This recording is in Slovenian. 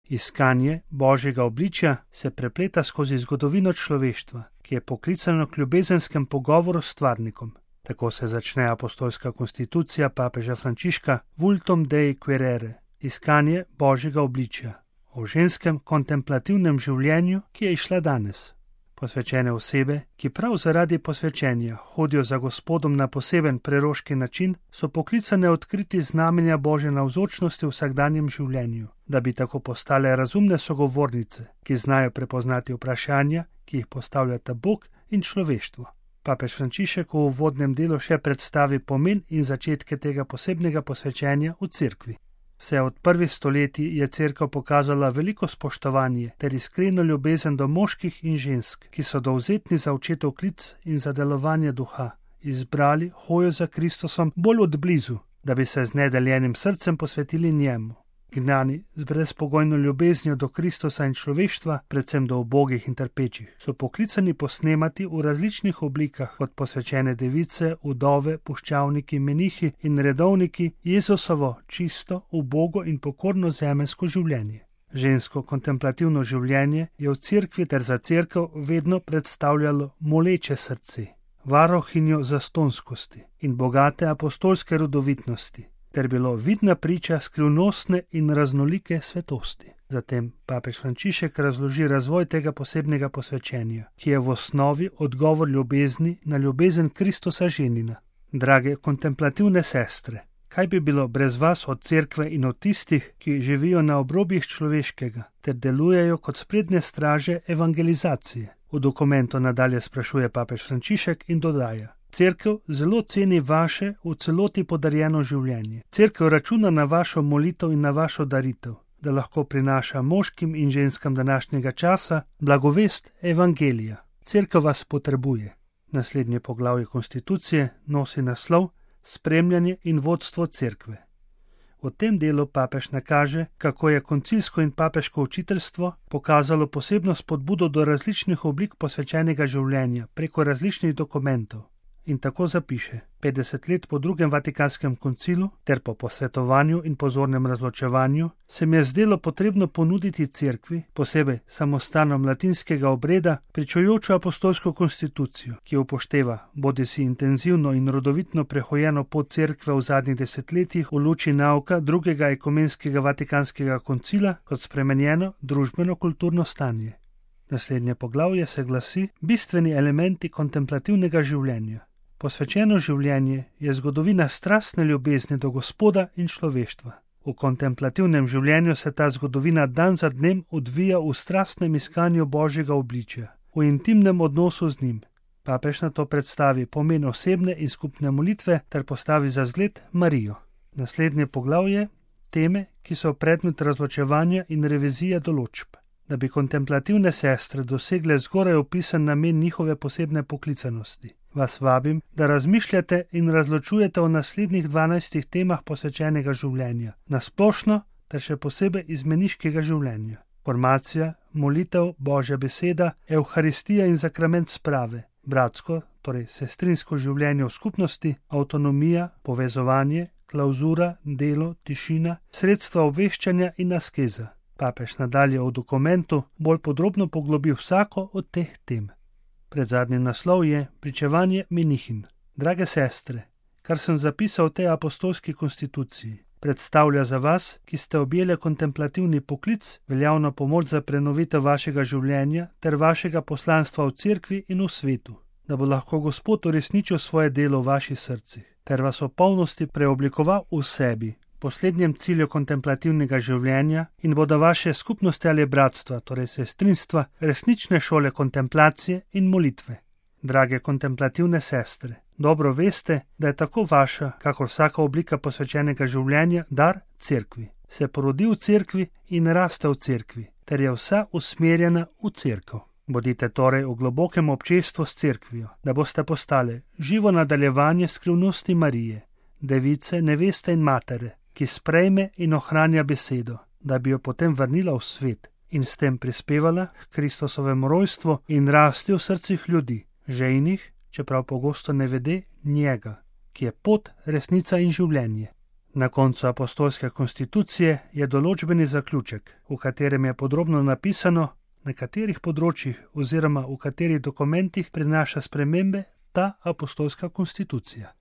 Iskanje Božjega obličja se prepleta skozi zgodovino človeštva, ki je poklicano k ljubezenskem pogovoru s stvarnikom. Tako se začne apostolska konstitucija papeža Frančiška Vultum Dei Quaerere, iskanje Božjega obličja, o ženskem kontemplativnem življenju, ki je izšla danes. Posvečene osebe, ki prav zaradi posvečenja hodijo za Gospodom na poseben preroški način, so poklicane odkriti znamenja Božje navzočnosti v vsakdanjem življenju, da bi tako postale razumne sogovornice, ki znajo prepoznati vprašanja, ki jih postavljata Bog in človeštvo. Papež Frančišek v uvodnem delu še predstavi pomen in začetke tega posebnega posvečenja v cerkvi. Vse od prvih stoletij je cerkev pokazala veliko spoštovanje ter iskreno ljubezen do moških in žensk, ki so dovzetni za očetov klic in za delovanje duha, izbrali hojo za Kristusom bolj od blizu, da bi se z nedeljenim srcem posvetili njemu. Gnani z brezpogojno ljubeznijo do Kristusa in človeštva, predvsem do ubogih in trpečih, so poklicani posnemati v različnih oblikah kot posvečene device, vdove, puščavniki, menihi in redovniki Jezusovo čisto, ubogo in pokorno zemeljsko življenje. Žensko kontemplativno življenje je v cerkvi ter za cerkev vedno predstavljalo moleče srce, varohinjo zastonskosti in bogate apostolske rodovitnosti, ter bilo vidna priča skrivnostne in raznolike svetosti. Zatem papež Frančišek razloži razvoj tega posebnega posvečenja, ki je v osnovi odgovor ljubezni na ljubezen Kristusa ženina. Drage kontemplativne sestre, kaj bi bilo brez vas od cerkve in od tistih, ki živijo na obrobjih človeškega, ter delujejo kot sprednje straže evangelizacije? V dokumentu nadalje sprašuje papež Frančišek in dodaja: Cerkev zelo ceni vaše v celoti podarjeno življenje. Cerkev računa na vašo molitev in na vašo daritev, da lahko prinaša moškim in ženskam današnjega časa blagovest evangelija. Cerkev vas potrebuje. Naslednje poglavje konstitucije nosi naslov Spremljanje in vodstvo cerkve. V tem delu papež nakaže, kako je koncilsko in papeško učiteljstvo pokazalo posebno spodbudo do različnih oblik posvečenega življenja preko različnih dokumentov. In tako zapiše: 50 let po drugem Vatikanskem koncilu ter po posvetovanju in pozornem razločevanju se mi je zdelo potrebno ponuditi cerkvi, posebej samostanom latinskega obreda, pričujočo apostolsko konstitucijo, ki upošteva bodisi intenzivno in rodovitno prehojeno pot cerkve v zadnjih desetletjih v luči nauka drugega ekumenskega Vatikanskega koncila kot spremenjeno družbeno-kulturno stanje. Naslednje poglavje se glasi Bistveni elementi kontemplativnega življenja. Posvečeno življenje je zgodovina strastne ljubezni do Gospoda in človeštva. V kontemplativnem življenju se ta zgodovina dan za dnem odvija v strastnem iskanju Božjega obličja, v intimnem odnosu z njim. Papež na to predstavi pomen osebne in skupne molitve ter postavi za zgled Marijo. Naslednje poglavje teme, ki so predmet razločevanja in revizije določb. Da bi kontemplativne sestre dosegle zgoraj opisan namen njihove posebne poklicanosti, vas vabim, da razmišljate in razločujete o naslednjih 12 temah posvečenega življenja, na splošno ter še posebej izmeniškega življenja. Formacija, molitev, Božja beseda, evharistija in sakrament sprave, bratsko, torej sestrinsko življenje v skupnosti, avtonomija, povezovanje, klauzura, delo, tišina, sredstva obveščanja in askeza. Papež nadalje v dokumentu bolj podrobno poglobi vsako od teh tem. Predzadnji naslov je Pričevanje menihin. Drage sestre, kar sem zapisal v tej apostolski konstituciji, predstavlja za vas, ki ste objele kontemplativni poklic, veljavno pomoč za prenovitev vašega življenja ter vašega poslanstva v cerkvi in v svetu, da bo lahko Gospod uresničil svoje delo v vaših srcih ter vas v polnosti preoblikoval v sebi, poslednjem cilju kontemplativnega življenja, in bodo vaše skupnosti ali bratstva, torej sestrinstva, resnične šole kontemplacije in molitve. Drage kontemplativne sestre, dobro veste, da je tako vaša, kakor vsaka oblika posvečenega življenja, dar cerkvi. Se porodi v cerkvi in raste v cerkvi, ter je vsa usmerjena v cerkev. Bodite torej v globokem občestvu s cerkvijo, da boste postale živo nadaljevanje skrivnosti Marije, device, neveste in matere, ki sprejme in ohranja besedo, da bi jo potem vrnila v svet in s tem prispevala k Kristusovemu rojstvu in rasti v srcih ljudi, žejnih, čeprav pogosto ne vede njega, ki je pot, resnica in življenje. Na koncu apostolske konstitucije je določbeni zaključek, v katerem je podrobno napisano, na katerih področjih oziroma v katerih dokumentih prinaša spremembe ta apostolska konstitucija.